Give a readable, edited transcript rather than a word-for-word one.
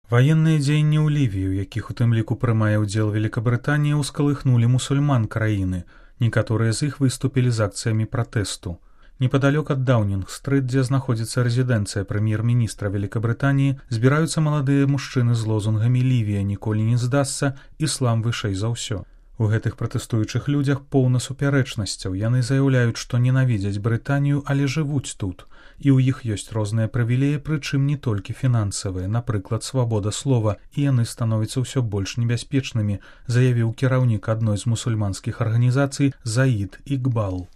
Ваенныя дзеянні ў Лівіі, у якіх у тым ліку прымае ўдзел Великабрытанія, ускалыхнулі мусульман краіны. Некаторыя з іх выступілі з акцыямі пратэсту. Непадалёк ад Даўнінг-стрыт, дзе знаходзіцца рэзідэнцыя прэм'ер-міністра Великабрытаніі, збіраюцца маладыя мужчыны з лозунгамі «Лівія ніколі не здасца, іслам вышэй за ўсё». У гэтых пратэстуючых людзях поўна супярэчнасцяў. Яны заяўляюць, што ненавідзяць Брытанію, але жывуць тут. І ў іх ёсць розныя прывілеі, прычым не толькі фінансавыя, напрыклад, свабода слова, і яны становяцца ўсё больш небяспечнымі, заявіў кіраўнік адной з мусульманскіх арганізацый Заід Ікбал.